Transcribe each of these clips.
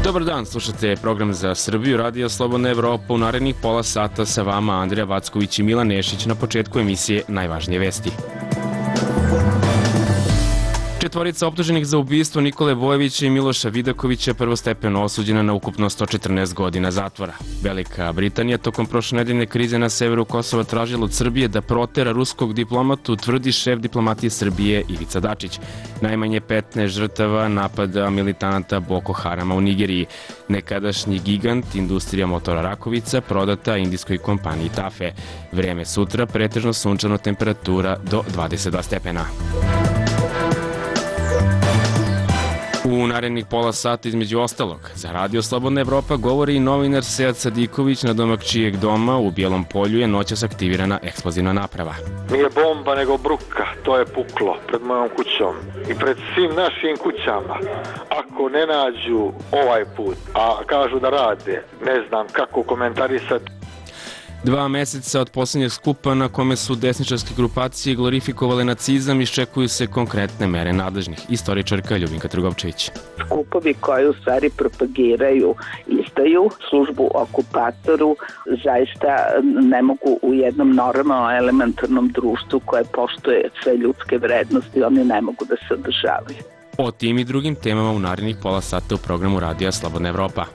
Dobar dan, slušate program za Srbiju, Radio Slobodna Evropa. U narednih pola sata sa vama Andrija Vacković i Milan Nešić. Na početku emisije najvažnije vesti. Četvorica optuženih za ubistvo Nikole Bojovića i Miloša Vidakovića prvostepeno osuđena na ukupno 114 godina zatvora. Velika Britanija tokom prošlonedeljne krize na severu Kosova tražila od Srbije da protera ruskog diplomatu, tvrdi šef diplomatije Srbije Ivica Dačić. Najmanje 15 žrtava napada militanata Boko Harama u Nigeriji. Nekadašnji gigant industrija motora Rakovica prodata indijskoj kompaniji Tafe. Vreme sutra pretežno sunčano, temperatura do 22 stepena. U narednih pola sata između ostalog za Radio Slobodna Evropa govori i novinar Sead Sadiković, na domak čijeg doma u Bijelom Polju je noćas aktivirana eksplozivna naprava. Nije bomba nego bruka, to je puklo pred mojom kućom i pred svim našim kućama. Ako ne nađu ovaj put, a kažu da rade, ne znam kako komentarisati. 2 meseca od posljednjeg skupa na kome su desničarske grupacije glorifikovale nacizam, iščekuju se konkretne mere nadležnih. Istoričarka Ljubinka Trgovčević. Skupovi koji u stvari propagiraju izdaju, službu okupatoru, zaista ne mogu u jednom normalnom elementarnom društvu koje poštuje sve ljudske vrednosti, oni ne mogu da se održavaju. O tim i drugim temama u narednih pola sata u programu Radija Slobodna Evropa.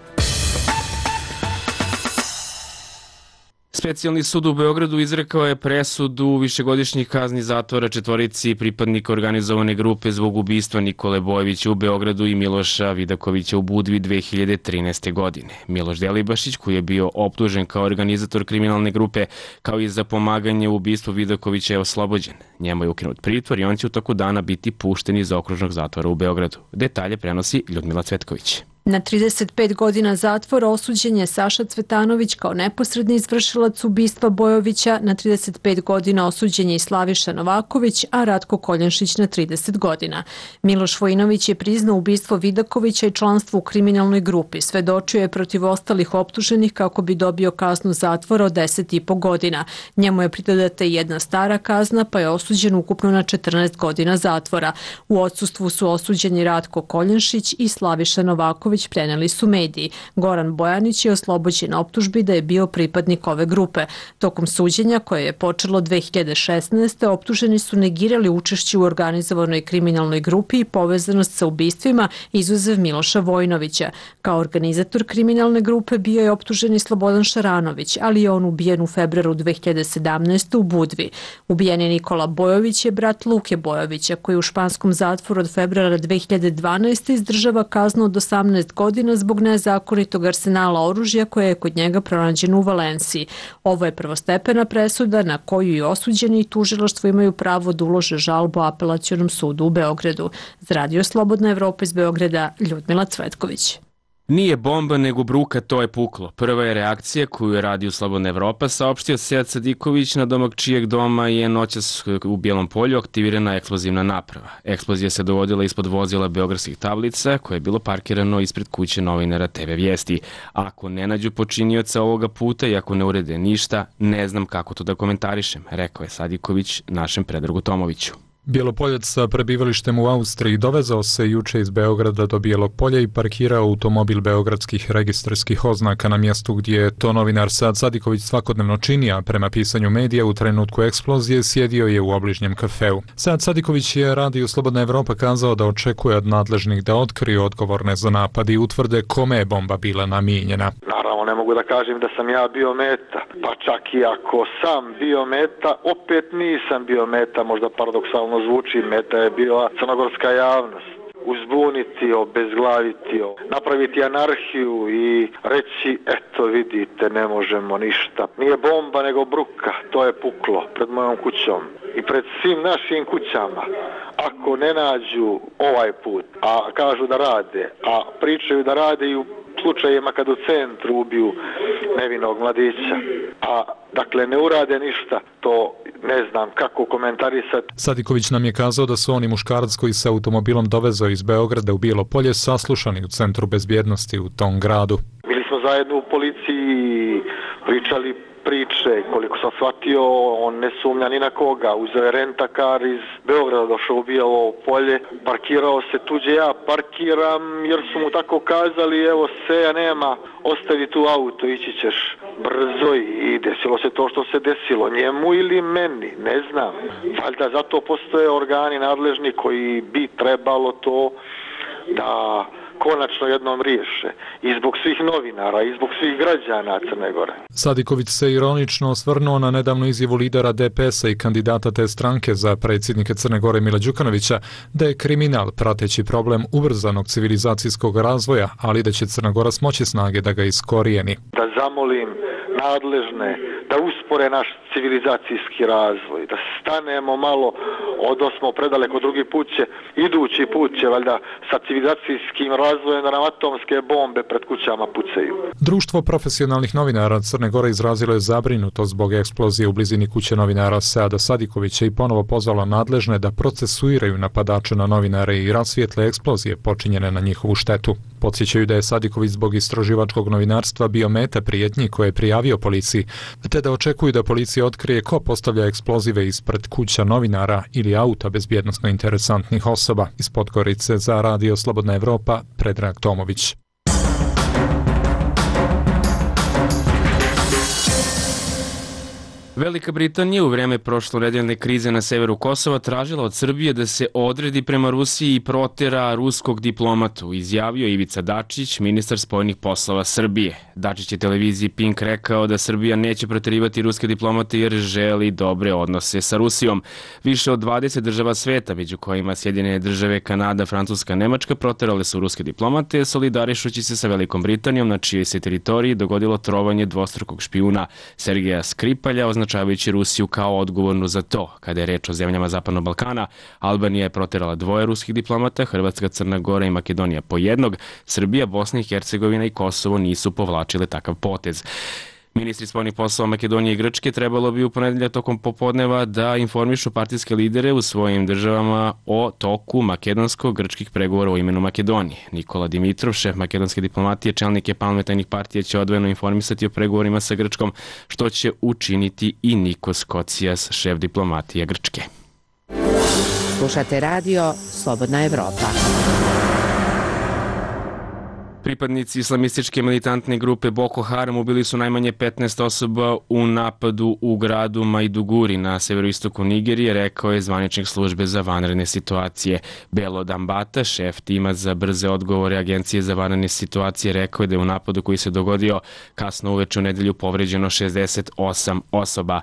Specijalni sud u Beogradu izrekao je presudu višegodišnjih kazni zatvora četvorici pripadnika organizovane grupe zbog ubistva Nikole Bojovića u Beogradu i Miloša Vidakovića u Budvi 2013. godine. Miloš Delibašić, koji je bio optužen kao organizator kriminalne grupe, kao i za pomaganje u ubistvu Vidakovića, je oslobođen. Njemu je ukinut pritvor i on će u toku dana biti pušten iz okružnog zatvora u Beogradu. Detalje prenosi Ljudmila Cvetković. Na 35 godina zatvora osuđen je Saša Cvetanović kao neposredni izvršilac ubistva Bojovića, na 35 godina osuđen je i Slaviša Novaković, a Ratko Koljanšić na 30 godina. Miloš Vojinović je priznao ubistvo Vidakovića i članstvo u kriminalnoj grupi. Svedočio je protiv ostalih optuženih kako bi dobio kaznu zatvora od 10,5 godina. Njemu je pridodata i jedna stara kazna, pa je osuđen ukupno na 14 godina zatvora. U odsustvu su osuđeni Ratko Koljanšić i Slaviša Novaković, preneli su mediji. Goran Bojanić je oslobođen optužbi da je bio pripadnik ove grupe. Tokom suđenja, koje je počelo 2016. optuženi su negirali učešće u organizovanoj kriminalnoj grupi i povezanost sa ubistvima, izuzev Miloša Vojinovića. Kao organizator kriminalne grupe bio je optuženi Slobodan Šaranović, ali je on ubijen u februaru 2017. u Budvi. Ubijeni Nikola Bojović je brat Luke Bojovića, koji u španskom zatvoru od februara 2012. izdržava kaznu od 18 godina zbog nezakonitog arsenala oružja koje je kod njega pronađeno u Valenciji. Ovo je prvostepena presuda na koju i osuđeni i tužilaštvo imaju pravo da ulože žalbu Apelacionom sudu u Beogradu. Za Radio Slobodna Evropa iz Beograda, Ljudmila Cvetković. Nije bomba nego bruka, to je puklo. Prva je reakcija koju je Radio Slobodna Evropa saopštio Sead Sadiković, na domak čijeg doma je noćas u Bijelom Polju aktivirana eksplozivna naprava. Eksplozija se dovodila ispod vozila beogradskih tablica koje je bilo parkirano ispred kuće novinara TV Vijesti. Ako ne nađu počinioca ovoga puta i ako ne urede ništa, ne znam kako to da komentarišem, rekao je Sadiković našem Predragu Tomoviću. Bjelopoljac sa prebivalištem u Austriji dovezao se juče iz Beograda do Bijelog Polja i parkirao automobil beogradskih registarskih oznaka na mjestu gdje je to novinar Sead Sadiković svakodnevno čini, a prema pisanju medija u trenutku eksplozije sjedio je u obližnjem kafeu. Sead Sadiković je Radio Slobodna Evropa kazao da očekuje od nadležnih da otkriju odgovorne za napad i utvrde kome je bomba bila namijenjena. Naravno, ne mogu da kažem da sam ja bio meta, pa čak i ako sam bio meta, opet nisam bio meta, možda paradoksalno zvuči, meta je bila crnogorska javnost. Uzbuniti, obezglaviti, napraviti anarhiju i reći, eto vidite, ne možemo ništa. Nije bomba nego bruka, to je puklo pred mojom kućom i pred svim našim kućama. Ako ne nađu ovaj put, a kažu da rade, a pričaju da rade i u slučajima kad u centru ubiju nevinog mladića, a dakle ne urade ništa, to ne znam kako komentarisati. Sadiković nam je kazao da su oni muškarac koji se automobilom dovezao iz Beograda u Bijelo Polje saslušani u Centru bezbjednosti u tom gradu. Bili smo zajedno u policiji, pričali priče, koliko sam shvatio, on ne sumnja ni na koga. Uzeo je rentakar iz Beograda, došao u Bijelo Polje, parkirao se tuđe, ja parkiram jer su mu tako kazali, evo seja nema, ostavi tu auto, ići ćeš brzo i desilo se to što se desilo, njemu ili meni, ne znam. Valjda zato postoje organi nadležni koji bi trebalo to da konačno jednom riješe. I zbog svih novinara, i zbog svih građana Crne Gore. Sadiković se ironično osvrnuo na nedavnu izjavu lidera DPS-a i kandidata te stranke za predsjednike Crne Gore Mila Đukanovića da je kriminal prateći problem ubrzanog civilizacijskog razvoja, ali da će Crna Gora smoći snage da ga iskorijeni. Da zamolim nadležne da uspore naš civilizacijski razvoj, da stanemo malo, odosmo predaleko, drugi put će, idući put će valjda sa civilizacijskim razvojem da nam atomske bombe pred kućama pucaju. Društvo profesionalnih novinara Crne Gore izrazilo je zabrinutost zbog eksplozije u blizini kuće novinara Seada Sadikovića i ponovo pozvalo nadležne da procesuiraju napadače na novinare i rasvijetle eksplozije počinjene na njihovu štetu. Podsjećaju da je Sadiković zbog istraživačkog novinarstva bio meta prijetnji koje je prijavio policiji, te da očekuju da policija otkrije ko postavlja eksplozive ispred kuća novinara ili auta bezbjednosno interesantnih osoba. Iz Podgorice za Radio Slobodna Evropa, Predrag Tomović. Velika Britanija u vrijeme prošlonedeljne krize na severu Kosova tražila od Srbije da se odredi prema Rusiji i protera ruskog diplomatu, izjavio Ivica Dačić, ministar spoljnih poslova Srbije. Dačić je televiziji Pink rekao da Srbija neće proterivati ruske diplomate jer želi dobre odnose sa Rusijom. Više od 20 država sveta, među kojima Sjedinjene države, Kanada, Francuska, Nemačka, proterale su ruske diplomate, solidarišući se sa Velikom Britanijom, na čijoj se teritoriji dogodilo trovanje dvostrukog špijuna Sergeja Skripalja, označavajući Rusiju kao odgovornu za to. Kada je reč o zemljama Zapadnog Balkana, Albanija je proterala 2 ruskih diplomata, Hrvatska, Crna Gora i Makedonija po 1, Srbija, Bosna i Hercegovina i Kosovo nisu povlačile takav potez. Ministri spoljnih poslova Makedonije i Grčke trebalo bi u ponedeljak tokom popodneva da informišu partijske lidere u svojim državama o toku makedonsko-grčkih pregovora o imenu Makedonije. Nikola Dimitrov, šef makedonske diplomatije, čelnike parlamentarnih partija će odvojeno informisati o pregovorima sa Grčkom, što će učiniti i Nikos Kocijas, šef diplomatije Grčke. Slušate radio Slobodna Evropa. Pripadnici islamističke militantne grupe Boko Haram ubili su najmanje 15 osoba u napadu u gradu Maiduguri na severoistoku Nigerije, rekao je zvaničnik službe za vanredne situacije. Belo Dambata, šef tima za brze odgovore Agencije za vanredne situacije, rekao je da je u napadu koji se dogodio kasno uveče u nedelju povređeno 68 osoba.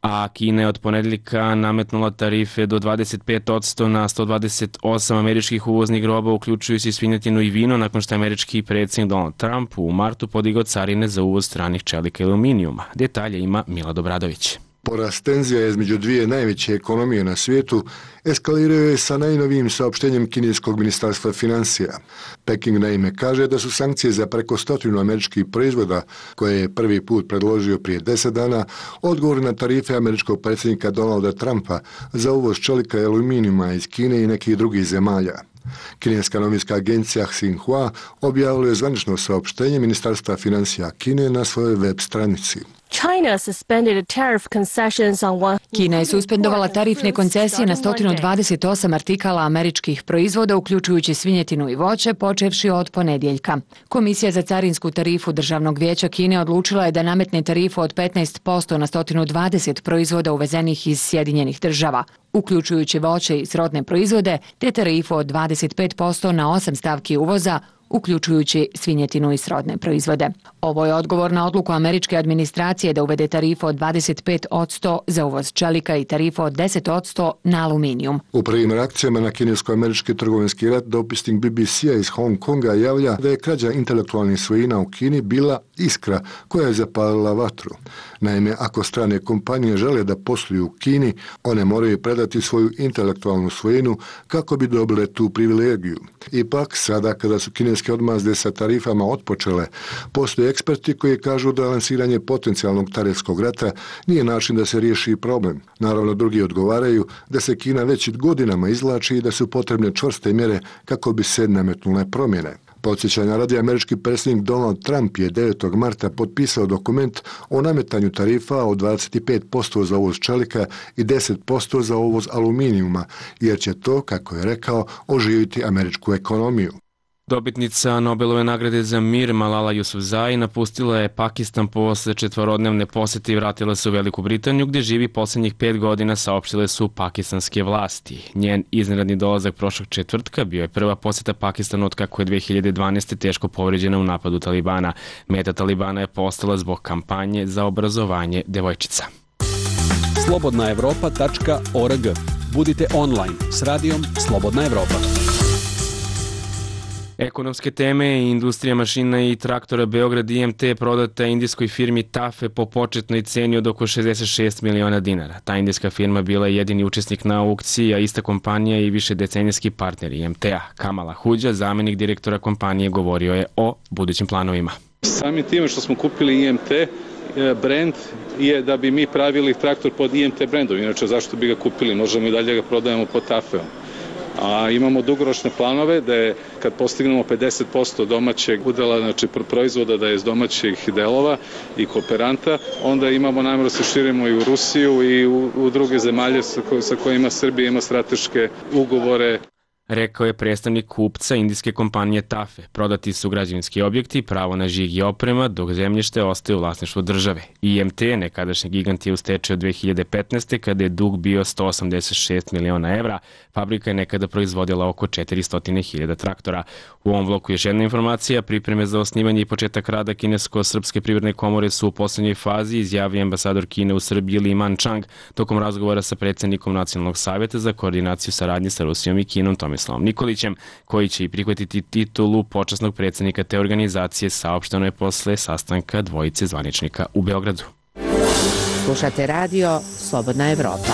A Kina je od ponedeljka nametnula tarife do 25% na 128 američkih uvoznih roba, uključujući svinjetinu i vino, nakon što je američki predsjednik Donald Trump u martu podigao carine za uvoz stranih čelika i aluminijuma. Detalje ima Milad Obradović. Porast tenzija između dvije najveće ekonomije na svijetu eskalirao je sa najnovijim saopštenjem kineskog ministarstva financija. Peking naime kaže da su sankcije za preko 100 američkih proizvoda, koje je prvi put predložio prije 10 dana, odgovor na tarife američkog predsjednika Donalda Trumpa za uvoz čelika i aluminijuma iz Kine i nekih drugih zemalja. Kineska novinska agencija Xinhua objavila je zvanično saopštenje ministarstva financija Kine na svojoj web stranici. Kina je suspendovala tarifne koncesije na 128 artikala američkih proizvoda, uključujući svinjetinu i voće, počevši od ponedjeljka. Komisija za carinsku tarifu Državnog vijeća Kine odlučila je da nametne tarifu od 15% na 120 proizvoda uvezenih iz Sjedinjenih država, uključujući voće i srodne proizvode, te tarifu od 25% na 8 stavki uvoza, uključujući svinjetinu i srodne proizvode. Ovo je odgovor na odluku američke administracije da uvede tarifu od 25% za uvoz čelika i tarifu od 10% na aluminijum. U prvim reakcijama na kinesko-američki trgovinski rat dopisnik BBC-a iz Hong Konga javlja da je krađa intelektualnih svojina u Kini bila iskra koja je zapalila vatru. Naime, ako strane kompanije žele da posluju u Kini, one moraju predati svoju intelektualnu svojinu kako bi dobile tu privilegiju. Ipak, sada kada su kineske odmazde sa tarifama otpočele, postoje eksperti koji kažu da lansiranje potencijalnog tarifskog rata nije način da se riješi problem. Naravno, drugi odgovaraju da se Kina već godinama izvlači i da su potrebne čvrste mjere kako bi se nametnule promjene. Podsjećanja radi, američki predsjednik Donald Trump je 9. marta potpisao dokument o nametanju tarifa od 25% za uvoz čelika i 10% za uvoz aluminijuma, jer će to, kako je rekao, oživiti američku ekonomiju. Dobitnica Nobelove nagrade za mir Malala Yousafzai napustila je Pakistan posle 4-dnevne posete i vratila se u Veliku Britaniju, gdje živi posljednjih 5 godina, saopštile su pakistanske vlasti. Njen iznenadni dolazak prošlog četvrtka bio je prva posjeta Pakistanu od kako je 2012. teško povređena u napadu Talibana. Meta Talibana je postala zbog kampanje za obrazovanje devojčica. slobodnaevropa.org. Budite online s radijom Slobodna Evropa. Ekonomske teme i industrija mašina i traktora Beograd IMT prodata indijskoj firmi TAFE po početnoj ceni od oko 66 miliona dinara. Ta indijska firma bila je jedini učesnik na aukciji, a ista kompanija i višedecenijski partner IMT-a. Kamal Ahuđa, zamenik direktora kompanije, govorio je o budućim planovima. Samim time što smo kupili IMT, brand je da bi mi pravili traktor pod IMT brandom. Inače, zašto bi ga kupili? Možemo i dalje ga prodajemo pod TAFE-om. A imamo dugoročne planove da je kad postignemo 50% domaćeg udela, znači proizvoda da je iz domaćih delova i kooperanta, onda imamo namjeru da se širimo i u Rusiju i u druge zemalje sa kojima Srbija ima strateške ugovore. Rekao je predstavnik kupca indijske kompanije TAFE. Prodati su građevinski objekti, pravo na žig i oprema, dok zemljište ostaje u vlasništvu države. IMT, nekadašnji gigant, je u stečaju od 2015. kada je dug bio 186 miliona evra. Fabrika je nekada proizvodila oko 400.000 traktora. U ovom bloku još jedna informacija. Pripreme za osnivanje i početak rada Kinesko-srpske privredne komore su u posljednjoj fazi, izjavio ambasador Kine u Srbiji Li Manchang tokom razgovora sa predsjednikom Nacionalnog savjeta za koordinaciju saradnje sa Rusijom i Kinom Tomislavom Nikolićem, koji će i prihvatiti titulu počasnog predsjednika te organizacije, saopšteno je posle sastanka dvojice zvaničnika u Beogradu. Slušate radio Slobodna Evropa.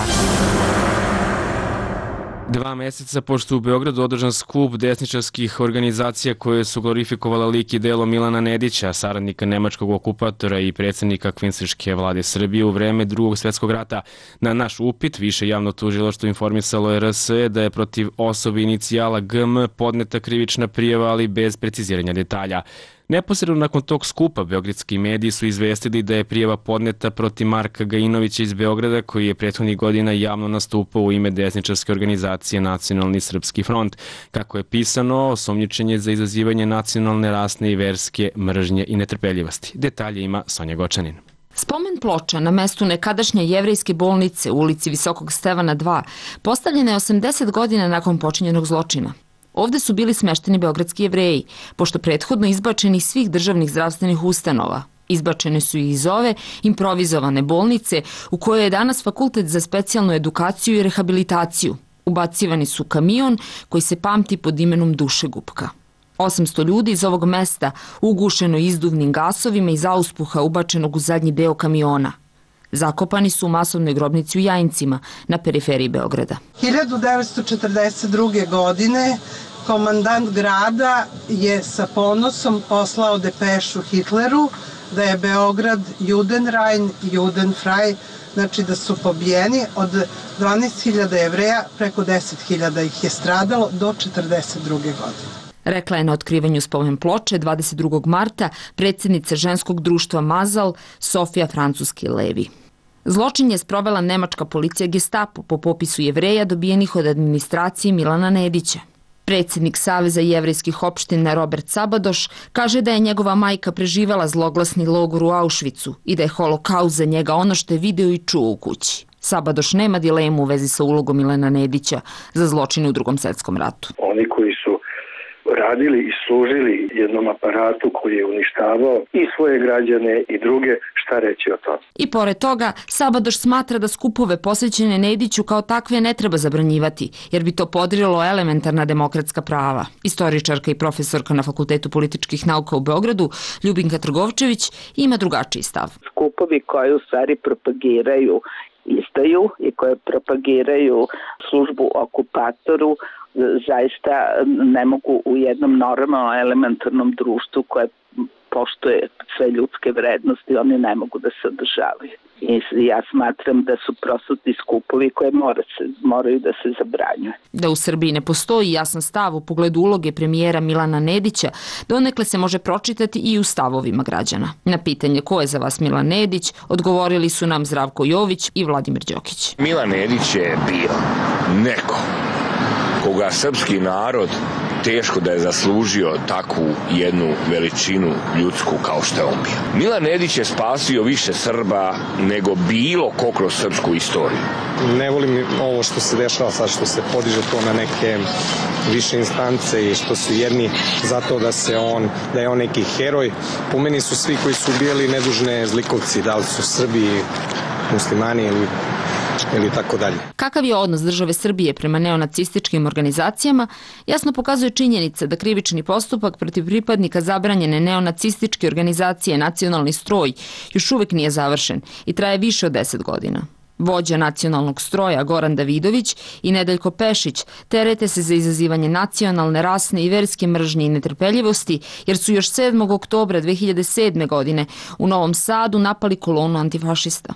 2 meseca pošto u Beogradu održan skup desničarskih organizacija koje su glorifikovala lik i delo Milana Nedića, saradnika nemačkog okupatora i predsjednika kvinsliške vlade Srbije u vreme Drugog svjetskog rata. Na naš upit više javno tužilaštvo informisalo je RSE da je protiv osobe inicijala GM podneta krivična prijava, ali bez preciziranja detalja. Neposredno nakon tog skupa beogradski mediji su izvestili da je prijava podneta protiv Marka Gajinovića iz Beograda, koji je prethodnih godina javno nastupao u ime desničarske organizacije Nacionalni srpski front. Kako je pisano, osumnjičen je za izazivanje nacionalne, rasne i verske mržnje i netrpeljivosti. Detalje ima Sonja Gočanin. Spomen ploča na mestu nekadašnje jevrejske bolnice u ulici Visokog Stevana 2 postavljena je 80 godina nakon počinjenog zločina. Ovde su bili smešteni beogradski Jevreji, pošto prethodno izbačeni iz svih državnih zdravstvenih ustanova. Izbačene su i iz ove improvizovane bolnice u kojoj je danas Fakultet za specijalnu edukaciju i rehabilitaciju. Ubacivani su kamion koji se pamti pod imenom Dušegupka. 800 ljudi iz ovog mesta ugušeno izduvnim gasovima iz auspuha ubačenog u zadnji deo kamiona. Zakopani su u masovnoj grobnici u Jajincima na periferiji Beograda. 1942. godine komandant grada je sa ponosom poslao depešu Hitleru da je Beograd Judenrein, Judenfrei, znači da su pobijeni. Od 12.000 Jevreja preko 10.000 ih je stradalo do 1942. godine. Rekla je na otkrivanju spomen ploče 22. marta predsjednica ženskog društva Mazal Sofija Francuski-Levi. Zločin je sprovela nemačka policija Gestapo po popisu Jevreja dobijenih od administracije Milana Nedića. Predsjednik Saveza jevrejskih opština Robert Sabadoš kaže da je njegova majka preživela zloglasni logor u Auschwitzu i da je holokaust za njega ono što je video i čuo u kući. Sabadoš nema dilemu u vezi sa ulogom Milana Nedića za zločine u Drugom svjetskom ratu. Oni koji su radili i služili jednom aparatu koji je uništavao i svoje građane i druge, šta reći o tome. I pored toga, Sabadoš smatra da skupove posvećene Nediću kao takve ne treba zabranjivati, jer bi to podrilo elementarna demokratska prava. Istoričarka i profesorka na Fakultetu političkih nauka u Beogradu, Ljubinka Trgovčević, ima drugačiji stav. Skupovi koji u stvari propagiraju izdaju i koje propagiraju službu okupatoru zaista ne mogu u jednom normalnom elementarnom društvu koje poštuje sve ljudske vrednosti, oni ne mogu da se održavaju. I ja smatram da su prosvetni skupovi koje moraju da se zabranjuju. Da u Srbiji ne postoji jasan stav u pogledu uloge premijera Milana Nedića, donekle se može pročitati i u stavovima građana. Na pitanje ko je za vas Milan Nedić, odgovorili su nam Zdravko Jović i Vladimir Đokić. Milan Nedić je bio neko koga srpski narod teško da je zaslužio takvu jednu veličinu ljudsku kao što je on bio. Milan Nedić je spasio više Srba nego bilo ko kroz srpsku istoriju. Ne volim ovo što se dešava sad, što se podiže to na neke više instance i što su jedni zato da je on neki heroj. Po meni su svi koji su ubijali nedužne zlikovci, da li su Srbi, muslimani ili tako dalje. Kakav je odnos države Srbije prema neonacističkim organizacijama, jasno pokazuje činjenica da krivični postupak protiv pripadnika zabranjene neonacističke organizacije Nacionalni stroj još uvek nije završen i traje više od 10 godina. Vođa Nacionalnog stroja Goran Davidović i Nedeljko Pešić terete se za izazivanje nacionalne, rasne i verske mržnje i netrpeljivosti, jer su još 7. oktobra 2007. godine u Novom Sadu napali kolonu antifašista.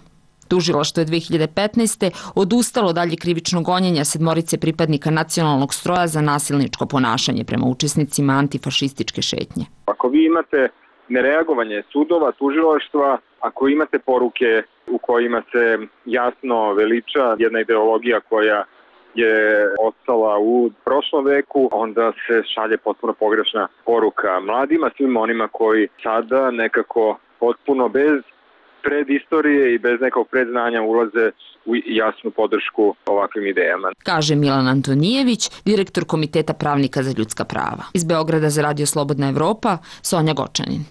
Tužilaštvo je 2015. odustalo dalje krivično gonjenja 7 pripadnika Nacionalnog stroja za nasilničko ponašanje prema učesnicima antifašističke šetnje. Ako vi imate nereagovanje sudova, tužilaštva, ako imate poruke u kojima se jasno veliča jedna ideologija koja je ostala u prošlom veku, onda se šalje potpuno pogrešna poruka mladima, svim onima koji sada nekako potpuno bez predistorije i bez nekog predznanja ulaze u jasnu podršku ovakvim idejama. Kaže Milan Antonijević, direktor Komiteta pravnika za ljudska prava. Iz Beograda za Radio Slobodna Evropa, Sonja Gočanin.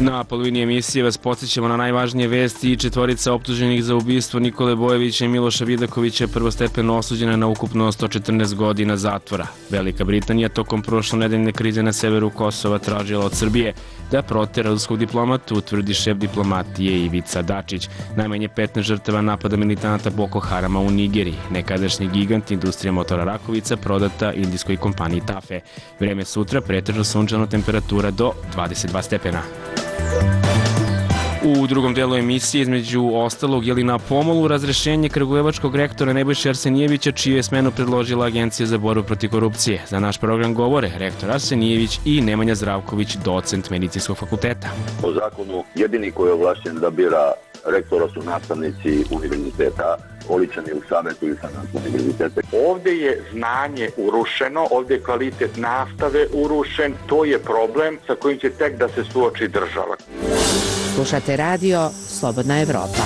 Na polovini emisije vas podsjećamo na najvažnije vesti. 4 optuženih za ubistvo Nikole Bojovića i Miloša Vidakovića je prvostepeno osuđena na ukupno 114 godina zatvora. Velika Britanija tokom prošlonedeljne krize na severu Kosova tražila od Srbije da protera ruskog diplomatu, utvrdi šef diplomatije Ivica Dačić. Najmanje 15 žrtava napada militanata Boko Harama u Nigeriji. Nekadašnji gigant industrija motora Rakovica prodata indijskoj kompaniji Tafe. Vreme sutra pretežno sunčano, temperatura do 22 stepena. U drugom delu emisije, između ostalog, je li na pomolu razrešenje kragujevačkog rektora Nebojše Arsenijevića, čiju je smenu predložila Agencija za borbu protiv korupcije. Za naš program govore rektor Arsenijević i Nemanja Zdravković, docent Medicinskog fakulteta. Po zakonu jedini koji je ovlašćen da bira rektora su nastavnici univerziteta, oličeni u savetu i sanatu univerziteta. Ovde je znanje urušeno, ovde je kvalitet nastave urušen, to je problem sa kojim će tek da se suoči država. Slušate radio Slobodna Evropa.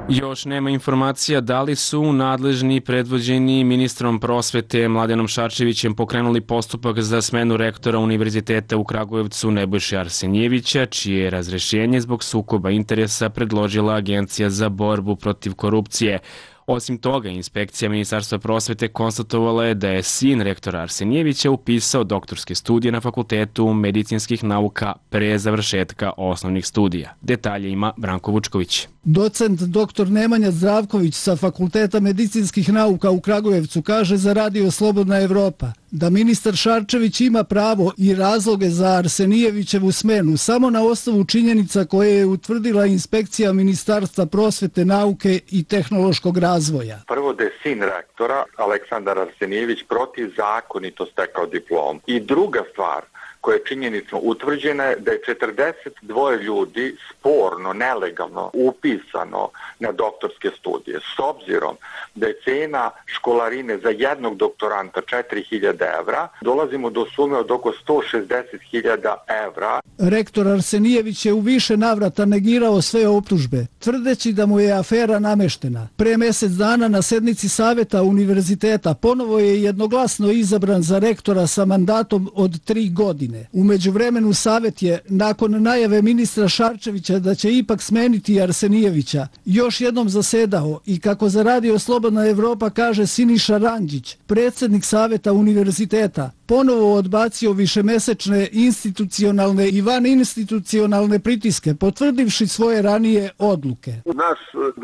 Još nema informacija da li su nadležni predvođeni ministrom prosvete Mladenom Šarčevićem pokrenuli postupak za smenu rektora Univerziteta u Kragujevcu Nebojše Arsenijevića, čije je razrešenje zbog sukoba interesa predložila Agencija za borbu protiv korupcije. Osim toga, inspekcija Ministarstva prosvete konstatovala je da je sin rektora Arsenijevića upisao doktorske studije na Fakultetu medicinskih nauka pre završetka osnovnih studija. Detalje ima Branko Vučković. Docent dr. Nemanja Zdravković sa Fakulteta medicinskih nauka u Kragujevcu kaže za Radio Slobodna Evropa da ministar Šarčević ima pravo i razloge za Arsenijevićevu smenu samo na osnovu činjenica koje je utvrdila inspekcija Ministarstva prosvete, nauke i tehnološkog razvoja. Prvo da je sin rektora, Aleksandar Arsenijević, protivzakonito stekao diplom. I druga stvar koja je činjenično utvrđena je da je 42 ljudi sporno, nelegalno upisano na doktorske studije. S obzirom da je cena školarine za jednog doktoranta 4.000 evra, dolazimo do sume od oko 160.000 evra. Rektor Arsenijević je u više navrata negirao sve optužbe, tvrdeći da mu je afera nameštena. Pre mesec dana na sednici Saveta univerziteta ponovo je jednoglasno izabran za rektora sa mandatom od 3 godine. U međuvremenu Savet je, nakon najave ministra Šarčevića da će ipak smeniti Arsenijevića, još jednom zasedao i, kako za Radio Slobodna Evropa kaže Siniša Ranđić, predsjednik Saveta univerziteta, ponovo odbacio višemesečne institucionalne i vaninstitucionalne pritiske, potvrdivši svoje ranije odluke. Naš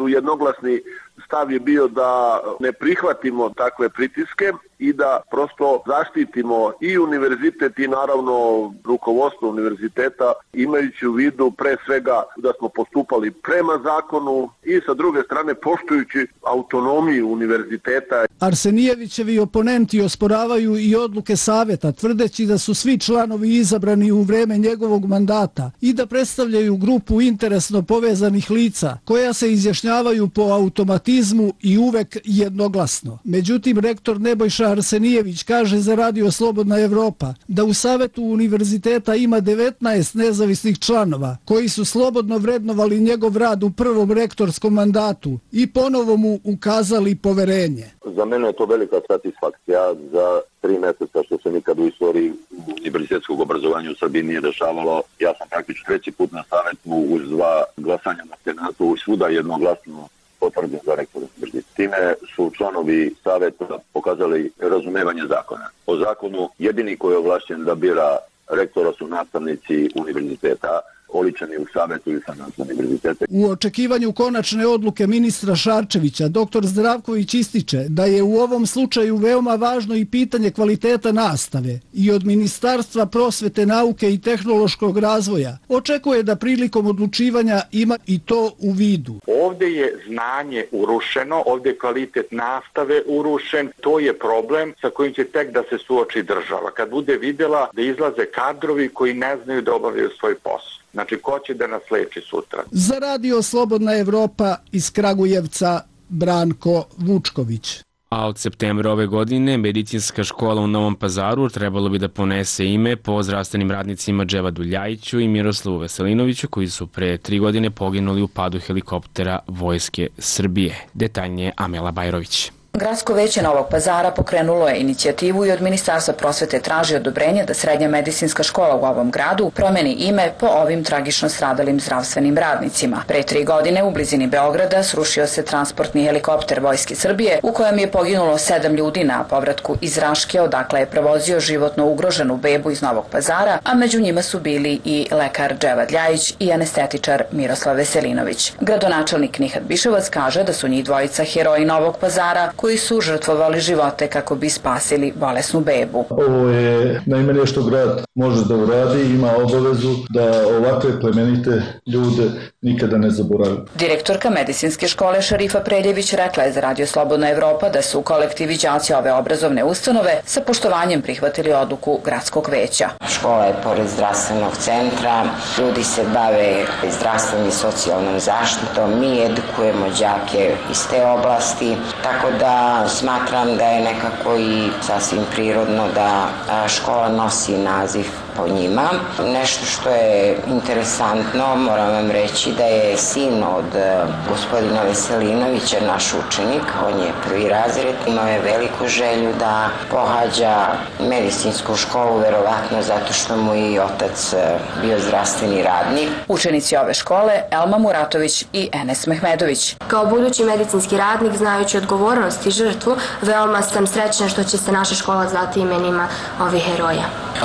jednoglasni stav je bio da ne prihvatimo takve pritiske i da prosto zaštitimo i univerzitet i naravno rukovodstvo univerziteta, imajući u vidu pre svega da smo postupali prema zakonu i sa druge strane poštujući autonomiju univerziteta. Arsenijevićevi oponenti osporavaju i odluke saveta, tvrdeći da su svi članovi izabrani u vreme njegovog mandata i da predstavljaju grupu interesno povezanih lica koja se izjašnjavaju po automatizmu i uvek jednoglasno. Međutim, rektor Nebojša Arsenijević kaže za Radio Slobodna Evropa da u Savetu univerziteta ima 19 nezavisnih članova koji su slobodno vrednovali njegov rad u prvom rektorskom mandatu i ponovo mu ukazali poverenje. Za mene je to velika satisfakcija za 3 meseca što se nikad u istoriji univerzitetskog obrazovanja u Srbiji nije dešavalo. Ja sam praktično 3. put na Savetu uz 2 glasanja na Senatu i svuda jednoglasno potvrđen za rektora univerziteta. Time su članovi saveta pokazali razumevanje zakona. Po zakonu jedini koji je ovlašćen da bira rektora su nastavnici univerziteta, oličeni u savetu i senatu univerziteta. U očekivanju konačne odluke ministra Šarčevića, dr. Zdravković ističe da je u ovom slučaju veoma važno i pitanje kvaliteta nastave i od Ministarstva prosvete, nauke i tehnološkog razvoja očekuje da prilikom odlučivanja ima i to u vidu. Ovde je znanje urušeno, ovde je kvalitet nastave urušen, to je problem sa kojim će tek da se suoči država. Kad bude videla da izlaze kadrovi koji ne znaju da obavljaju svoj posao. Znači, ko će da nas leči sutra? Za Radio Slobodna Evropa iz Kragujevca, Branko Vučković. A od septembra ove godine medicinska škola u Novom Pazaru trebalo bi da ponese ime po zdravstvenim radnicima Dževadu Ljajiću i Miroslavu Veselinoviću koji su pre 3 godine poginuli u padu helikoptera Vojske Srbije. Detaljnije Amela Bajrović. Gradsko veće Novog Pazara pokrenulo je inicijativu i od Ministarstva prosvete traži odobrenje da srednja medicinska škola u ovom gradu promeni ime po ovim tragično stradalim zdravstvenim radnicima. Pre 3 godine u blizini Beograda srušio se transportni helikopter Vojske Srbije u kojem je poginulo 7 ljudi na povratku iz Raške, odakle je prevozio životno ugroženu bebu iz Novog Pazara, a među njima su bili i lekar Dževad Ljajić i anestetičar Miroslav Veselinović. Gradonačelnik Nihat Biševac kaže da su njih dvojica heroji Novog Pazara koji su žrtvovali živote kako bi spasili bolesnu bebu. Ovo je najmanje što grad može da uradi, ima obavezu da ovakve plemenite ljude nikada ne zaboravi. Direktorka medicinske škole Šarifa Preljević rekla je za Radio Slobodna Evropa da su kolektivi đaci ove obrazovne ustanove sa poštovanjem prihvatili odluku gradskog veća. Škola je pored zdravstvenog centra, ljudi se bave zdravstvenom i socijalnom zaštitom, mi edukujemo đake iz te oblasti, tako da smatram da je nekako i sasvim prirodno da škola nosi naziv po njima. Nešto što je interesantno, moram vam reći da je sin od gospodina Veselinovića, naš učenik, on je 1. razred, imao je veliku želju da pohađa medicinsku školu, verovatno zato što mu i otac bio zdravstveni radnik. Učenici ove škole Elma Muratović i Enes Mehmedović. Kao budući medicinski radnik, znajući odgovornost i žrtvu, veoma sam srećna što će se naša škola zvati imenima ovih heroja.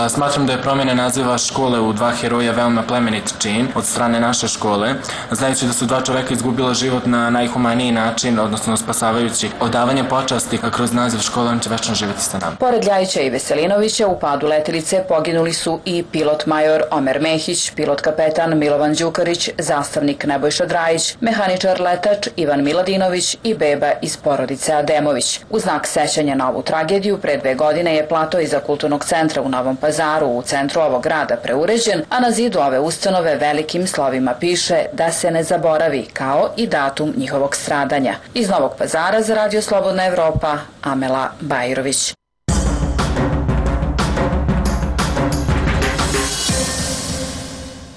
Smatram da je promjena naziva škole u 2 heroja veoma plemenit čin od strane naše škole, znajući da su 2 čoveka izgubila život na najhumaniji način, odnosno spasavajući odavanje počasti kroz naziv škole, on će večno živjeti sa nama. Pored Ljajića i Veselinovića u padu letelice poginuli su i pilot major Omer Mehić, pilot kapetan Milovan Đukarić, zastavnik Nebojša Drajić, mehaničar letač Ivan Miladinović i beba iz porodice Ademović. U znak sećanja na ovu tragediju pre 2 godine je plato iza kulturnog centra u Novom Pazaru u centru ovog grada preuređen, a na zidu ove ustanove velikim slovima piše da se ne zaboravi, kao i datum njihovog stradanja. Iz Novog Pazara za Radio Slobodna Evropa, Amela Bajrović.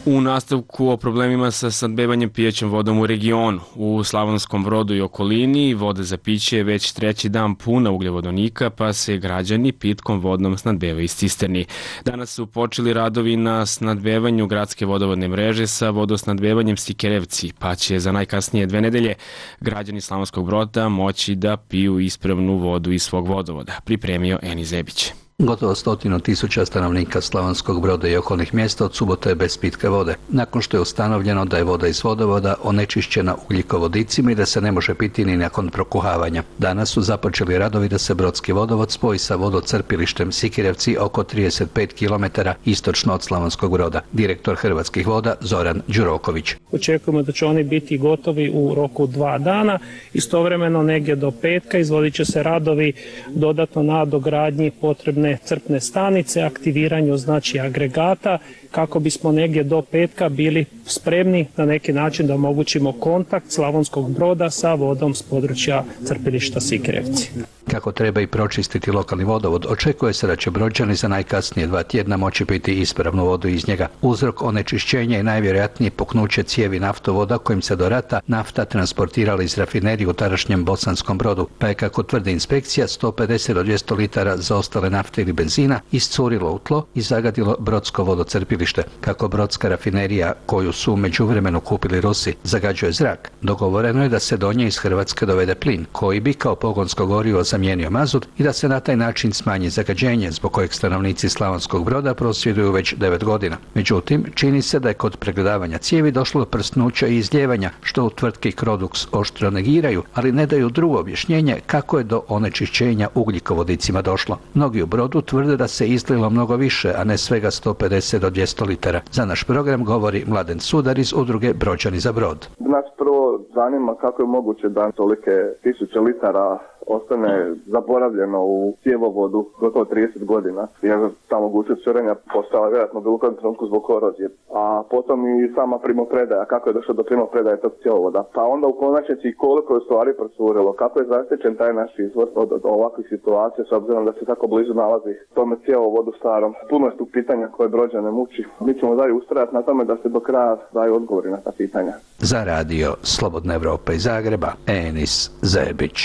U nastavku o problemima sa snabdevanjem pijećom vodom u regionu. U Slavonskom Brodu i okolini voda za piće je već 3. dan puna ugljevodonika, pa se građani pitkom vodom snabdevaju iz cisterni. Danas su počeli radovi na snabdevanju gradske vodovodne mreže sa vodosnabdevanjem Sikerevci, pa će za najkasnije 2 nedelje građani Slavonskog Broda moći da piju ispravnu vodu iz svog vodovoda, pripremio Eni Zebić. Gotovo 100.000 stanovnika Slavonskog Broda i okolnih mjesta od subote je bez pitke vode, nakon što je ustanovljeno da je voda iz vodovoda onečišćena ugljikovodicima i da se ne može piti ni nakon prokuhavanja. Danas su započeli radovi da se Brodski vodovod spoji sa vodocrpilištem Sikirevci oko 35 km istočno od Slavonskog Broda. Direktor Hrvatskih voda Zoran Đuroković. Očekujemo da će oni biti gotovi u roku 2 dana. Istovremeno negdje do petka izvodit će se radovi dodatno na dogradnji potrebne crpne stanice, aktiviranju agregata kako bismo negdje do petka bili spremni na neki način da omogućimo kontakt Slavonskog Broda sa vodom s područja crpilišta Sikirevci. Kako treba i pročistiti lokalni vodovod, očekuje se da će Brođani za najkasnije 2 tjedna moći piti ispravnu vodu iz njega. Uzrok onečišćenja je najvjerojatnije puknuće cijevi naftovoda kojim se do rata nafta transportirala iz rafinerije u tadašnjem Bosanskom Brodu, pa je, kako tvrdi inspekcija, 150 do 200 litara zaostale nafte ili benzina iscurilo u tlo i zagadilo Brodsko vodocrpilište. Kako Brodska rafinerija, koju su u međuvremenu kupili Rusi, zagađuje zrak, dogovoreno je da se do nje iz Hrvatske dovede plin, koji bi kao pogonsko gorivo zamijenio mazut i da se na taj način smanji zagađenje, zbog kojeg stanovnici Slavonskog Broda prosvjeduju već 9 godina. Međutim, čini se da je kod pregledavanja cijevi došlo do prsnuća i izljevanja, što u tvrtki Crodux oštro negiraju, ali ne daju drugo objašnjenje kako je do onečišćenja ugljikovodicima došlo. Mnogi u Brodu tvrde da se izlilo mnogo više, a ne svega 150 do 200 litara. Za naš program govori Mladen Sudar iz udruge Brođani za Brod. Nas prvo zanima kako je moguće da tolike tisuće litara ostane zaboravljeno u cjevovodu gotovo 30 godina, jer ta mogućnost curenja postala vjerojatno bilo kojem trenutku zbog korozije. A potom i sama primopredaja, kako je došlo do primopredaje tog cjevovoda. Pa onda u konačnici koliko je stvari procurilo, kako je zaštićen taj naš izvor od ovakvih situacija, s obzirom da se tako blizu nalazi tome cjevovodu starom. Puno je tu pitanja koje Brođane muči. Mi ćemo dalje ustrajati na tome da se do kraja daju odgovori na ta pitanja. Za radio Slobodna Evropa iz Zagreba, Enis Zebić.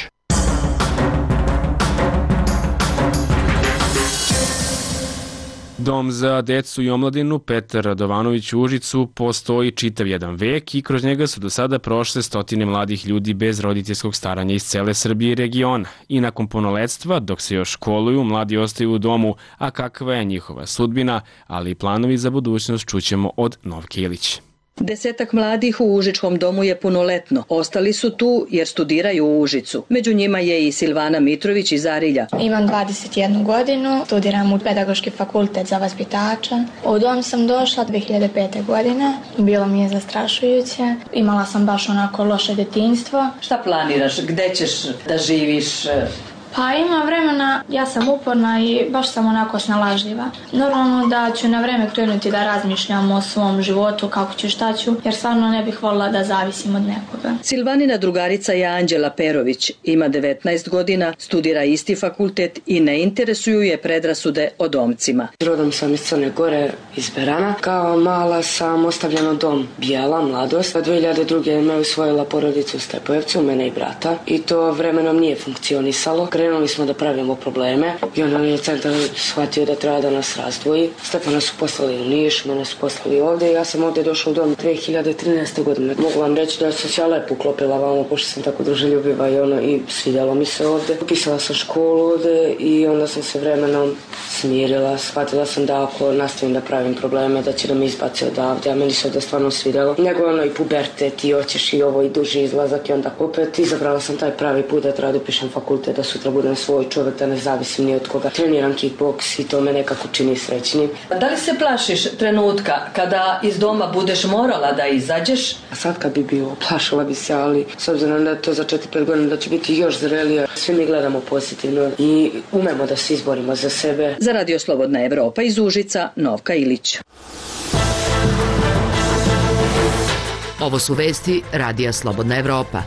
Dom za decu i omladinu Petar Radovanović u Užicu postoji čitav jedan vek i kroz njega su do sada prošle stotine mladih ljudi bez roditeljskog staranja iz cele Srbije i regiona. I nakon punoletstva, dok se još školuju, mladi ostaju u domu, a kakva je njihova sudbina, ali i planovi za budućnost čućemo od Novke Ilić. 10 mladih u Užičkom domu je punoletno. Ostali su tu jer studiraju u Užicu. Među njima je i Silvana Mitrović iz Arilja. Imam 21 godinu, studiram u Pedagoški fakultet za vaspitača. U dom sam došla 2005. godine. Bilo mi je zastrašujuće. Imala sam baš onako loše detinjstvo. Šta planiraš? Gde ćeš da živiš? Pa ima vremena, ja sam uporna i baš sam onako snalažljiva. Normalno da ću na vreme krenuti da razmišljam o svom životu, kako ću, šta ću, jer stvarno ne bih voljela da zavisim od nekoga. Silvanina drugarica je Anđela Perović, ima 19 godina, studira isti fakultet i ne interesuju je predrasude o domcima. Rodom sam iz Crne Gore, iz Berana. Kao mala sam ostavljena u dom Bijela, mladost. 2002. me usvojila porodica u Stepojevcu, mene i brata. I to vremenom nije funkcionisalo. Krenuli smo da pravimo probleme i onda je centar shvatio da treba da nas razdvoji. Stepana su poslali u Niš, mene su poslali ovdje. Ja sam ovdje došla u dom 2013. godine. Mogu vam reći da sam se ja lepo uklopila vamo, pošto sam tako druželjubiva i svidjelo mi se ovdje. Upisala sam školu ovdje i onda sam se vremenom smirila. Shvatila sam da ako nastavim da pravim probleme, da će da me izbaci odavde, a meni se ovdje stvarno svidjelo. Nego i pubertet i hoćeš i ovo i duži izlazak i onda opet izabrala sam taj pravi put da treba da upišem fakultet, da sutra budem svoj čovjek, da ne zavisim ni od koga. Treniram kickboks i to me nekako čini srećnim. Da li se plašiš trenutka kada iz doma budeš morala da izađeš? A sad kad bi bilo, plašila bi se, ali s obzirom da to za 4-5 godina da će biti još zrelije, svi mi gledamo pozitivno i umemo da se izborimo za sebe. Za Radio Slobodna Evropa iz Užica, Novka Ilić. Ovo su vesti Radija Slobodna Evropa.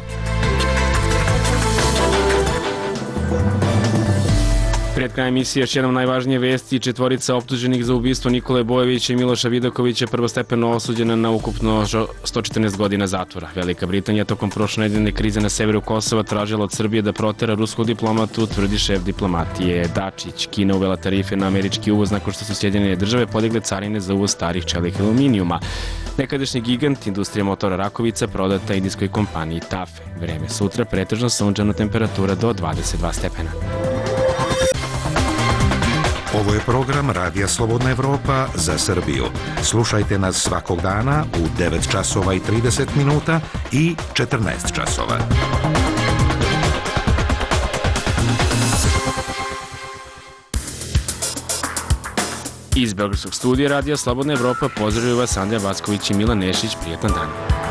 Pred krajem emisije još jednom najvažnije vesti. 4 optuženih za ubistvo Nikole Bojevića i Miloša Vidakovića prvostepeno osuđena na ukupno 114 godina zatvora. Velika Britanija tokom prošlonedeljne krize na severu Kosova tražila od Srbije da protera ruskog diplomatu, tvrdi šef diplomatije Dačić. Kina uvela tarife na američki uvoz nakon što su Sjedinjene države podigle carine za uvoz starih čelika aluminijuma. Nekadašnji gigant industrija motora Rakovica prodata indijskoj kompaniji TAFE. Vreme sutra pretežno sunčano, temperatura do 22 stepena. Ovo je program Radija Slobodna Evropa za Srbiju. Slušajte nas svakog dana u 9 časova i 30 minuta i 14 časova. Iz Beogradskog studija Radija Slobodna Evropa pozdravljaju vas Andrija Vacković i Milan Nešić. Prijetan dan.